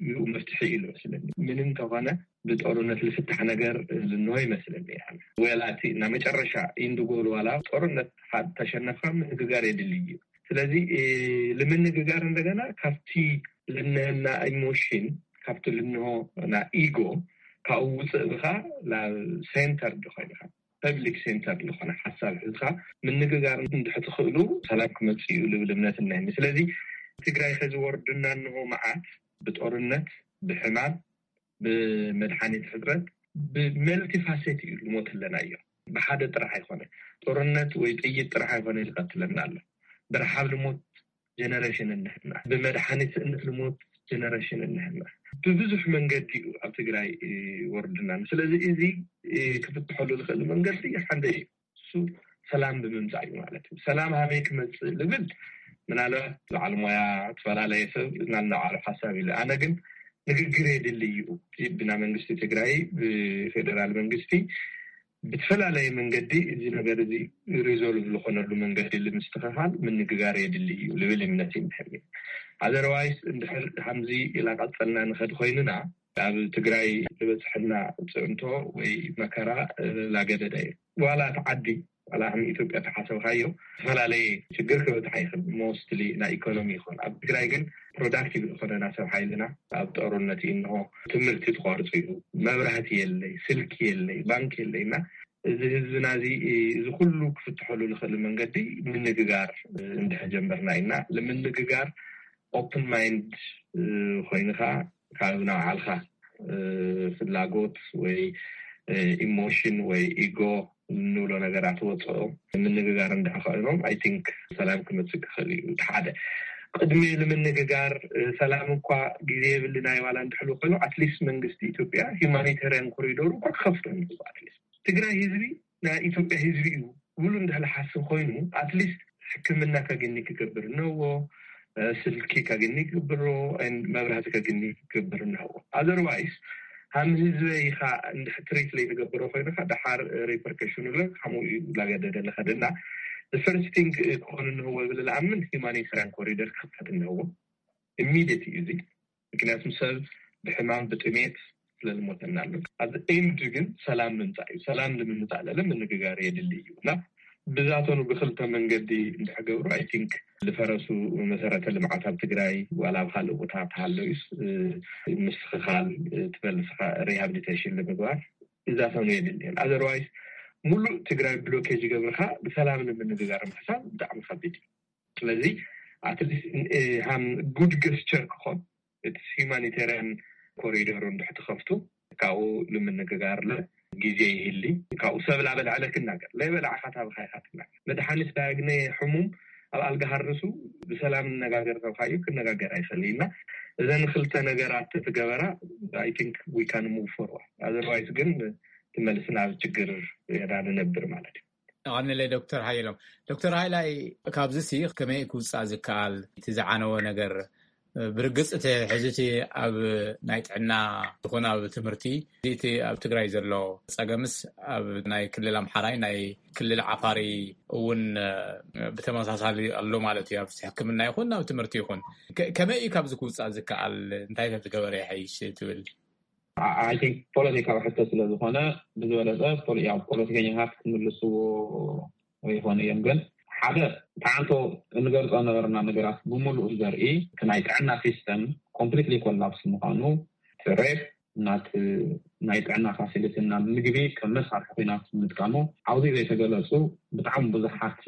ይኡ መፍትሒ ኢሉ መስለኒ። ምንም ተኾነ ብጦርነት ልፍታሕ ነገር ልንሆ ይመስለኒ። ወላ እቲ እና መጨረሻ ኢንድ ጎል ዋላ ጦርነት ተሸነፍካ ምንግጋር የድሊ እዩ። ስለዚ ልምንግጋር እንደገና ካብቲ ልንህና ኢሞሽን ካብቲ ልንሆ ና ኢጎ ካብኡ ውፅእ ብካ ናብ ሴንተር ድኮይንካ ፐብሊክ ሴንተር ዝኾነ ሓሳብ ሕዝካ ምንግጋር እንድሕር ትኽእሉ ሰላም ክመፅእ እዩ ልብል እምነት እነኒ። ስለዚ ትግራይ ከዝወርድና እንሆ መዓት ብጦርነት ብሕማም ብመድሓኒት ሕፅረት ብመልቲፋሴት እዩ ልሞት ኣለና እዮም። ብሓደ ጥራሕ ኣይኮነ ጦርነት ወይ ጥይት ጥራሕ ኣይኮነ ዝቀትለና ኣሎ። ብረሓብ ልሞት ጀነሬሽን እንህና ብመድሓኒት ስእነት ልሞት ጀነሬሽን እንህና ብብዙሕ መንገዲ እዩ ኣብ ትግራይ ወርድና። ስለዚ እዚ ክፍትሐሉ ዝኽእል መንገዲ ሓደ እዩ። እሱ ሰላም ብምምፃእ እዩ ማለት እዩ። ሰላም ሃበይ ክመፅእ ልብል ምናልባት በዓል ሞያ፣ ዝተፈላለየ ሰብ ናናባዕሉ ሓሳብ ኢሉ። ኣነ ግን ንግግር የድሊ እዩ። ብና መንግስቲ ትግራይ፣ ብፌደራል መንግስቲ ብዝፈላለየ መንገዲ እዚ ነገር እዚ ሪዞልቭ ዝኾነሉ መንገዲ ንምስትኽኻል ምንግጋር የድሊ እዩ ልብል እምነት ይንሕኒ። ኣዘርዋይስ እንድሕር ከምዚ ኢላ ቀጸልና ንኸድ ኮይንና፣ ኣብ ትግራይ ዝበፅሐና ፅዕንቶ ወይ መከራ ላገደደ እዩ። ዋላ እቲ ዓዲ፣ ዋላ ከም ኢትዮጵያ ተሓሰብካዮ፣ ዝተፈላለየ ችግር ክበፅሓ ይኽእል። ሞስትሊ ናይ ኢኮኖሚ ይኾን። ኣብ ትግራይ ግን ፕሮዳክቲቭ ዝኾነና ሰብ ሓይልና ኣብ ጦርነት እዩ። እንሆ ትምህርቲ ተቋርፁ እዩ፣ መብራህቲ የለይ፣ ስልኪ የለይ፣ ባንክ የለይ። እና እዚ ህዝብና እዚ፣ እዚ ኩሉ ክፍትሐሉ ንኽእል መንገዲ ምንግጋር እንድሕር ጀመርና ኢና። ንምንግጋር ኦፕን ማይንድ ኮይንካ፣ ካብ ናይ ባዕልካ ፍላጎት ወይ ኢሞሽን ወይ ኢጎ እንብሎ ነገራት ወፅኦ ምንግጋር እንድሕር ኮይኖም፣ ኣይ ቲንክ ሰላም ክመፅእ ክኽእል እዩ። እቲ ሓደ። ቅድሚ ንምንግጋር፣ ሰላም እኳ ግዜ የብልና ዋላ እንድሕሉ ኮይኑ፣ ኣትሊስት መንግስቲ ኢትዮጵያ ሂማኒቴሪያን ኮሪዶር እኳ ክኸፍቶ ንግባእ። ኣትሊስት ትግራይ ህዝቢ ናይ ኢትዮጵያ ህዝቢ እዩ ብሉ እንድሕር ሓስብ ኮይኑ፣ ኣትሊስት ሕክምና ከግኒ ክገብር እነዎ፣ ስልኪ ከግኒ ክገብሮ፣ መብራህቲ ከግኒ ክገብር እነዎ። ኣዘርዋይስ ሃም ህዝበ ኢኻ እንድሕር ትሪት ለይ ትገብሮ ኮይንካ፣ ደሓር ሪፐርከሽኑ ለ ከምኡ እዩ ላገደደ ለኸደና። ፈርስት ቲንግ ክኾን እንህዎ ዝብል ለኣምን ሂማኒታሪያን ኮሪደር ክኽፈት እነዎ። ኢሚዲየት እዩ እዚ። ምክንያቱም ሰብ ብሕማም ብጥሜት ስለዝሞተና ኣሎ። ኣብ ኤንድ ግን ሰላም ምምፃእ እዩ። ሰላም ንምምፃእ ለለ ምንግጋር የድሊ እዩ። እና ብዛተኑ ብክልተ መንገዲ እንድሕገብሩ፣ ኣይ ቲንክ ዝፈረሱ መሰረተ ልምዓት ኣብ ትግራይ ዋላ ኣብ ካልእ ቦታ ተሃለዩስ ምስትኽኻል፣ ትመልስኻ ሪሃብሊቴሽን ንምግባር ብዛተኑ የድልየን። ኣዘርዋይስ ሙሉእ ትግራይ ብሎኬጅ ገብርካ ብሰላም ንምንግጋር ምሕሳብ ብጣዕሚ ከቢድ እዩ። ስለዚ ኣትሊስት ሃም ጉድ ገስቸር ክኾን እቲ ሂማኒቴሪያን ኮሪደሩ እንድሕር ትኸፍቱ፣ ካብኡ ንምንግጋር ለ ግዜ ይህሊ። ካብኡ ሰብ ላበልዐለ ክናገር፣ ለይበላዕካ ታብኻ ኢኻ ትናገር። መድሓኒት ዳግነ ሕሙም ኣብ ኣልጋ ሃርሱ ብሰላም ንነጋገር ተብካዩ ክነጋገር ኣይኽእል እዩ። እና እዘን ክልተ ነገራት ተትገበራ፣ ኣይ ቲንክ ዊ ካን ሙቭ ፎርዋርድ። ኣዘርዋይስ ግን ትመልስና ኣብ ችግር ኢና ንነብር ማለት እዩ። ኣቐንለ ዶክተር ሃይሎም። ዶክተር ሃይላይ፣ ካብዚ ሲ ከመይ ክውፃእ ዝከኣል እቲ ዝዓነወ ነገር? ብርግፅ እቲ ሕዚ እቲ ኣብ ናይ ጥዕና ዝኾነ ኣብ ትምህርቲ፣ እቲ ኣብ ትግራይ ዘሎ ፀገምስ ኣብ ናይ ክልል ኣምሓራይ ናይ ክልል ዓፋሪ እውን ብተመሳሳሊ ኣሎ ማለት እዩ። ኣብ ሕክምና ይኹን ኣብ ትምህርቲ ይኹን ከ-፣ ከመይ እዩ ካብዚ ክውፃእ ዝከኣል? እንታይ ተትገበረ ይሐይሽ ትብል? ኣይ ቲንክ ፖለቲካዊ ሕቶ ስለ ዝኾነ ብዝበለፀ ፖለ-፣ ያው ፖለቲከኛታት ክምልስዎ ይኾኑ እዮም። ግን ሓደ ተዓንቶ እንገልፆ ነበርና ነገራት ብምሉእ ዘርኢ እቲ ናይ ጥዕና ሲስተም ኮምፕሊትሊ ኮላፕስ ምዃኑ፣ እቲ ሬፕ ናት ናይ ጥዕና ፋሲሊቲ እና ምግቢ ከም መሳርሒ ኩናት ምጥቃሙ፣ ኣብዚ ዘይተገለፁ ብጣዕሚ ብዙሓት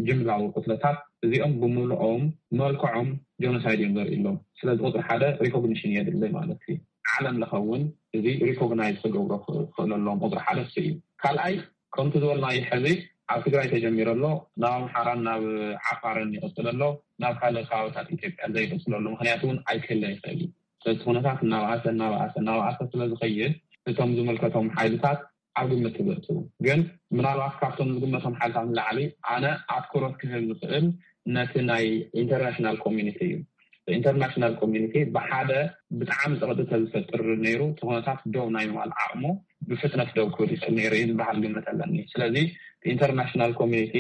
ጅምላዊ ቅትለታት እዚኦም ብምሉኦም መልክዖም ጀኖሳይድ እዮም ዘርእሎም። ስለዚ ቁፅሪ ሓደ ሪኮግኒሽን የድሊ ማለት እዩ። ዓለም ለኸ እውን እዚ ሪኮግናይዝ ክገብሮ ክኽእል ኣለዎም። ቁፅሪ ሓደ እሱ እዩ። ካልኣይ ከምቲ ዝበልናዮ ሕዚ ኣብ ትግራይ ተጀሚሩ ኣሎ፣ ናብ ኣምሓራን ናብ ዓፋርን ይቕፅል ኣሎ፣ ናብ ካልእ ከባብታት ኢትዮጵያ ዘይቅፅል ኣሎ። ምክንያቱ እውን ኣይክህለ ይኽእል እዩ። ስለዚ ኩነታት እናበኣሰ እናበኣሰ እናበኣሰ ስለ ዝኸይድ እቶም ዝምልከቶም ሓይልታት ኣብ ግምት ትበእትው። ግን ምናልባት ካብቶም ዝግመቶም ሓይልታት ንላዕሊ ኣነ ኣትኩሮት ክህብ ዝኽእል ነቲ ናይ ኢንተርናሽናል ኮሚኒቲ እዩ። ኢንተርናሽናል ኮሚኒቲ ብሓደ ብጣዕሚ ፀቕጢ ተዝፈጥር ነይሩ፣ እቲ ኩነታት ደው ናይ ምባል ዓቕሙ ብፍጥነት ደው ክብል ይኽእል ነይሩ እዩ ዝበሃል ግምት ኣለኒ። ስለዚ ኢንተርናሽናል ኮሚኒቲ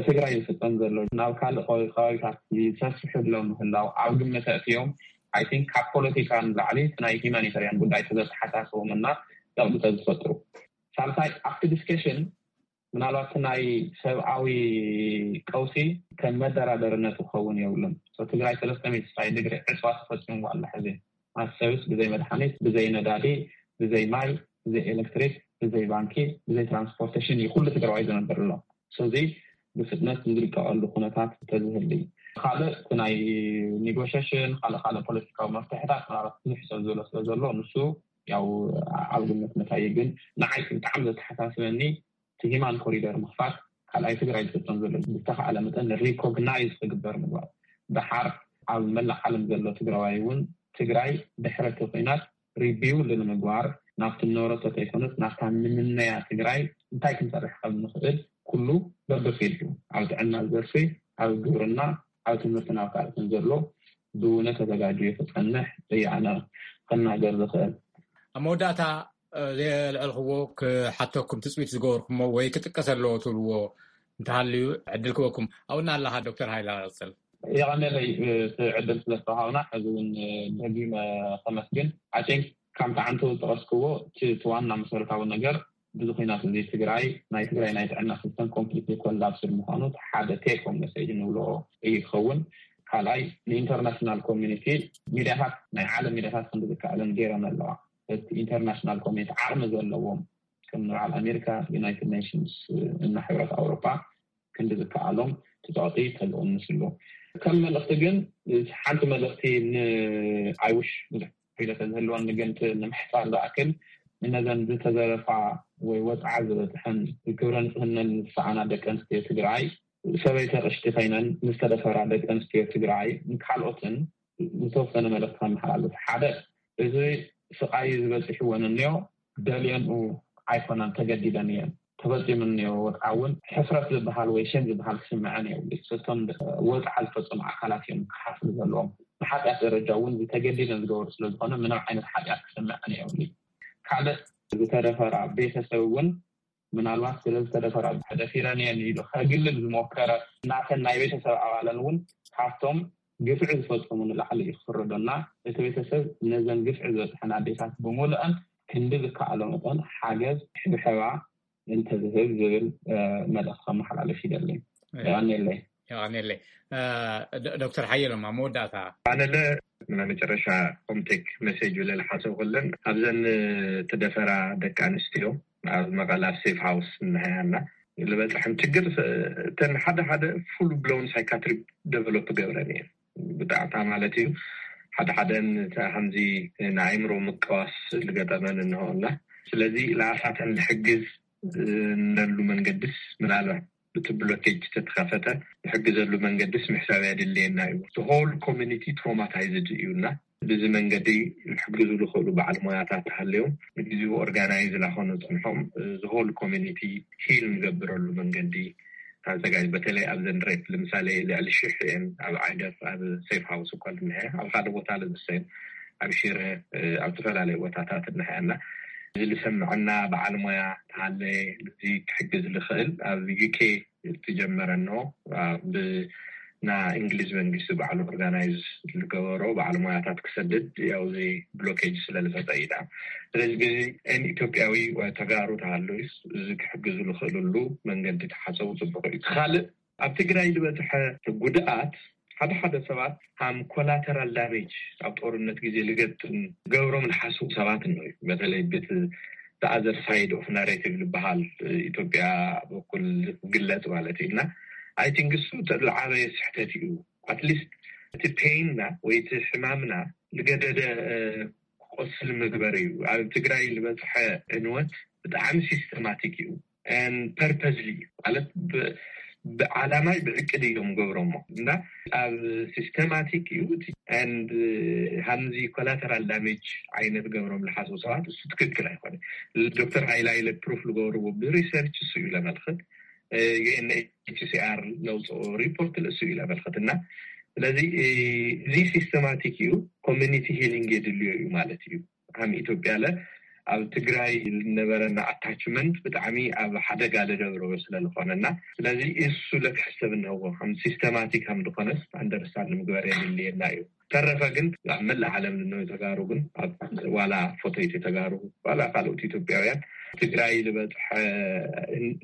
ትግራይ ዝፍፀም ዘሎ ናብ ካልእ ከባቢታት ይሰፍሕ ብለው ምህላው ኣብ ግምት ኣእትዮም፣ ኣይ ቲንክ ካብ ፖለቲካ ንላዕሊ እቲ ናይ ሂማኒታሪያን ጉዳይ ተዘተሓሳስቦም እና ፀቕጢ ተዝፈጥሩ። ሳልሳይ ኣብቲ ዲስከሽን ምናልባት ናይ ሰብኣዊ ቀውሲ ከም መደራደርነት ክኸውን የብሉን። ትግራይ ሰለስተ ሚእቲ ስሳይ ድግሪ ዕፅዋ ተፈፂሙ ኣሎ ሕዚ። ማሰብስ ብዘይ መድሓኒት፣ ብዘይ ነዳዲ፣ ብዘይ ማይ፣ ብዘይ ኤሌክትሪክ፣ ብዘይ ባንኪ፣ ብዘይ ትራንስፖርቴሽን እዩ ኩሉ ትግራዋይ ዝነብር ኣሎ። ስለዚ ብፍጥነት ዝልቀቐሉ ኩነታት እንተዝህሊ፣ ካልእ እቲ ናይ ኔጎሽሽን ካልእ ካልእ ፖለቲካዊ መፍትሕታት ምናልባት ብዙሕ ሰብ ዝብሎ ስለ ዘሎ ንሱ ያው ኣብ ግምት መታየ። ግን ንዓይ ብጣዕሚ ዘተሓሳስበኒ እቲ ሂማን ኮሪደር ምኽፋት ካልኣይ ትግራይ ዝፍፀም ዘሎ ብዝተኻእለ መጠን ሪኮግናይዝ ክግበር ምግባር። ደሓር ኣብ መላእ ዓለም ዘሎ ትግራዋይ እውን ትግራይ ድሕረቲ ኮይናት ሪቢውልድ ንምግባር ናብቲ ነበረቶ ተይኮነት ናብታ ንምነያ ትግራይ እንታይ ክንሰርሕ ከም ንኽእል ኩሉ በብፊልዱ ኣብ ጥዕና ዘርፊ፣ ኣብ ግብርና፣ ኣብ ትምህርቲ ናብ ካልእ ከም ዘሎ ብውነ ተዘጋጅዩ ክጸንሕ እየ ኣነ ክናገር ዝኽእል። ኣብ መወዳእታ፣ እ፣ ዘየልዐልክዎ ክሓተኩም ትጽቢት ዝገበርኩሞ ወይ ክጥቀስ ኣለዎ ትብልዎ እንተሃልዩ ዕድል ክበኩም። ኣብና ኣለኻ ዶክተር ሃይለ፣ ቀጽል። የቐነለይ፣ እ፣ እቲ ዕድል ስለ ዝተዋሃብና፣ ሕዚ እውን፣ እ፣ ደጊመ ከመስግን። I think፣ ከም ተዓንቶ ዝጠቐስክዎ፣ እቲ፣ እቲ ዋና መሰረታዊ ነገር፣ ብዙ ኩናት እዚ ትግራይ፣ ናይ ትግራይ ናይ ጥዕና ሲስተም ኮምፕሊትሊ ኮላፕስድ ምዃኑ፣ እቲ ሓደ ቴክ ሆም መሴጅ ንብሎ እዩ ዝኸውን። ካልኣይ፣ ንኢንተርናሽናል ኮሚኒቲ፣ ሚድያታት፣ ናይ ዓለም ሚድያታት ክንዲ ዝከኣለን ገይረን ኣለዋ። እቲ ኢንተርናሽናል ኮሚኒቲ ዓቕሚ ዘለዎም፣ ከም ንበዓል ኣሜሪካ፣ ዩናይትድ ኔሽንስ እና ሕብረት ኣውሮፓ ክንዲ ዝከኣሎም ትጸቕጢ ተልእኦም ምስሉ። ከም መልእኽቲ ግን፣ ሓንቲ መልእኽቲ ን-፣ I wish ብዙሕ ሒደ ተዝህልወኒ፣ ግን እቲ ንምሕጻር ዝኣክል፣ እነዘን ዝተዘረፋ ወይ ወጽዓ ዝበጽሐን ክብረ ንጽህነን ዝሰኣና ደቂ ኣንስትዮ ትግራይ፣ ሰበይቲ ኣቕሽቲ ኮይነን ዝተደፈራ ደቂ ኣንስትዮ ትግራይ፣ ንካልኦትን ዝተወሰነ መልእኽቲ ከመሓላልፍ። ሓደ፣ እዚ ስቓይ ዝበፂሕወን እኒኦ ደልየንኡ ኣይኮነን፣ ተገዲደን እየን። ተፈፂሙ እኒኦ ወፅዓ እውን ሕፍረት ዝበሃል ወይ ሸም ዝበሃል ክስምዐን የብሉ። እቶም ወፅዓ ዝፈፀሙ ኣካላት እዮም ክሓፍሩ ዘለዎም። ብሓጢኣት ደረጃ እውን ዝተገዲደን ዝገበሩ ስለዝኾነ ምንም ዓይነት ሓጢኣት ክስምዐን የብሉ። ካልእ፣ ዝተደፈራ ቤተሰብ እውን ምናልባት ስለ ዝተደፈራ፣ ተደፊረን እየን ኢሉ ከግልል ዝሞከረ እናተን ናይ ቤተሰብ ኣባለን እውን ካብቶም ግፍዒ ዝፈፀሙ ንላዕሊ እዩ ክፍረዶ። እና እቲ ቤተሰብ ነዘን ግፍዒ ዝበፅሐን ኣዴታት ብምሉአን ክንዲ ዝከኣሎ መጠን ሓገዝ፣ ሕብሐባ እንተዝህብ ዝብል፣ እ፣ መልእኽቲ ከመሓላልፍ ይደሊ። የቐንየለይ። የቐንየለይ። እ፣ ዶ-፣ ዶክተር ሓየሎም፣ ኣብ መወዳእታ። ኣነለ ናይ መጨረሻ ኮምቴክ መሴጅ ብለ ዝሓሰብ ኩለን ኣብዘን ተደፈራ ደቂ ኣንስትዮ ኣብ መቐለ ኣብ ሴፍ ሃውስ እናሃያና ዝበፅሐን ችግር፣ እተን ሓደ ሓደ ፉል ብሎውን ሳይካትሪክ ደቨሎፕ ገብረን እየን። ብጣዕታ ማለት እዩ። ሓደ ሓደን ከምዚ ንኣይምሮ ምቅዋስ ዝገጠመን እንሆ እና፣ ስለዚ ንኣሳተን ዝሕግዝ ነሉ መንገድስ፣ ምናልባት እቲ ብሎኬጅ ተተኸፈተ ዝሕግዘሉ መንገድስ ምሕሳብ የድልየና እዩ። ሆል ኮሚኒቲ ትሮማታይዝድ እዩ እና ብዚ መንገዲ ክሕግዙ ዝኽእሉ በዓል ሞያታት ተሃልዮም ንግዜኡ ኦርጋናይዝ ላኾኑ ጽንሖም፣ እ፣ ዝሆል ኮሚኒቲ ሂል ንገብረሉ መንገዲ ኣዘጋጅ። በተለይ ኣብዘን ሬፕ፣ ለምሳሌ፣ ልዕሊ ሽሕ እየን ኣብ ዓይደር፣ ኣብ ሴፍ ሃውስ እኳ እንሀ፣ ኣብ ሓደ ቦታ ለዝሰን፣ ኣብ ሽረ፣ እ፣ ኣብ ዝተፈላለዩ ቦታታት እንሀ እና፣ እዚ ልሰምዐና በዓል ሞያ ተሃለ፣ እዚ ክሕግዝ ዝኽእል ኣብ ዩ ኬ ዝተጀመረ እንሆ፣ ብ-፣ ና እንግሊዝ መንግስቲ ባዕሉ ኦርጋናይዝ ዝገበሮ በዓል ሞያታት ክሰድድ፣ ያው፣ እዚ ብሎኬጅ ስለ ዝፈፀ እዩ። ስለዚ፣ ብዚ ኤን ኢትዮጵያዊ ወይ ተጋሩ ተሃለዩስ፣ እዚ ክሕግዙ ዝኽእልሉ መንገዲ ተሓሰቡ ጽቡቕ እዩ። እቲ ካልእ፣ ኣብ ትግራይ ዝበፅሐ ጉድኣት፣ ሓደ ሓደ ሰባት ሃም ኮላተራል ዳሜጅ ኣብ ጦርነት ግዜ ልገጥም ገብሮም ዝሓስቡ ሰባት እንሆ እዩ። በተለይ ብት-፣ the other side of narrative ዝበሃል፣ ኢትዮጵያ በኩል ዝግለጽ ማለት እዩ። እና ኣይ ቲንክ እሱ እቲ ዝዓበየ ስሕተት እዩ። ኣትሊስት እቲ ፔይንና ወይ እቲ ሕማምና ዝገደደ፣ እ፣ ክቆስል ምግበር እዩ። ኣብ ትግራይ ዝበፅሐ ዕንወት ብጣዕሚ ሲስተማቲክ እዩ። ን ፐርፐዝሊ ማለት ብ-፣ ብዓላማይ ብዕቅድ እዮም ገብሮሞ። እና ኣብ ሲስተማቲክ እዩ። And ሃምዚ ኮላተራል ዳሜጅ ዓይነት ገብሮም ዝሓስቡ ሰባት እሱ ትክክል ኣይኮነ። ዶክተር ሃይላይለ ፕሩፍ ዝገብርዎ ብሪሰርች እሱ እዩ ለመልክት። ዩ ኤን ኤች ሲ ኣር ለውፅኦ ሪፖርት እሱ እዩ ለመልክት። እና ስለዚ፣ እ፣ እዚ ሲስተማቲክ እዩ፣ ኮሚኒቲ ሂሊንግ የድልዮ እዩ ማለት እዩ። ከም ኢትዮጵያ ለ ኣብ ትግራይ ዝነበረና ኣታችመንት ብጣዕሚ ኣብ ሓደጋ ለደብረበ ስለ ዝኾነና፣ ስለዚ እሱ ለክሕሰብ እንህዎ ከም ሲስተማቲክ ከም ዝኾነስ ኣንደርስታንድ ምግበር የድልየና እዩ። ተረፈ ግን ኣብ መላእ ዓለም ዝነው ተጋሩ ግን ኣብ ዋላ ፎቶይቲ ተጋሩ ዋላ ካልኦት ኢትዮጵያውያን ትግራይ ዝበፅሐ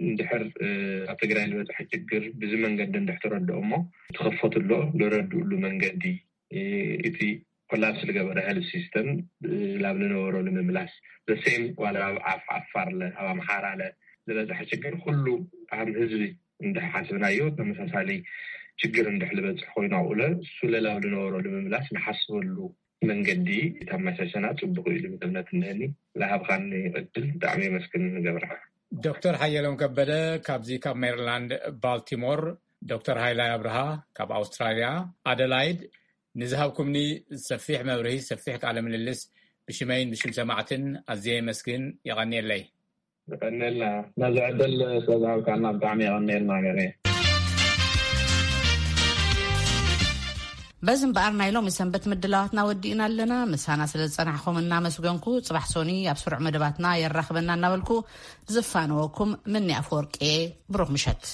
እንድሕር፣ እ፣ ኣብ ትግራይ ዝበፅሐ ችግር ብዚ መንገዲ እንድሕር ተረድኦ እሞ ተኸፈቱ ኣሎ፣ ዝረድእሉ መንገዲ፣ እ፣ እቲ ኮላፕስ ዝገበረ ሄልት ሲስተም፣ እ፣ ናብ ዝነበሮ ንምምላስ፣ ዘሴም ዋላ ኣብ ዓፍ-፣ ዓፋር ለ፣ ኣብ ኣምሓራ ለ ዝበፅሐ ችግር ኩሉ ኣብ ህዝቢ እንድሕር ሓስብናዮ ተመሳሳሊ ችግር እንድሕር ዝበፅሕ ኮይኑ ኣብኡ ለ እሱ ለ ናብ ዝነበሮ ንምምላስ ንሓስበሉ መንገዲ ተመቻችና ጽቡቕ እዩ ዝብል እምነት እኒሀኒ። ለሃብኻኒ ዕድል ብጣዕሚ የመስግን ንገብርኻ። ዶክተር ሓየሎም ከበደ ካብዚ ካብ ሜሪላንድ ባልቲሞር፣ ዶክተር ሃይላይ ኣብርሃ ካብ ኣውስትራልያ ኣደላይድ ንዝሃብኩምኒ ሰፊሕ መብርሂ፣ ሰፊሕ ቃለ ምልልስ ብሽመይን ብሽም ሰማዕትን ኣዝየ የመስግን። የቐንየለይ። የቐንየልና። ነዚ ዕድል ስለ ዝሃብካና ብጣዕሚ የቐንየልና ገሬ። በዚ እምበኣር ናይ ሎሚ ሰንበት ምድላዋትና ወዲእና ኣለና። ምሳና ስለ ዝጸናሕኹም እናመስገንኩ፣ ጽባሕ ሶኒ ኣብ ስሩዕ መደባትና የራኽበና እናበልኩ ዝፋነወኩም ምኒ ኣፈወርቂ፣ ብሩኽ ምሸት።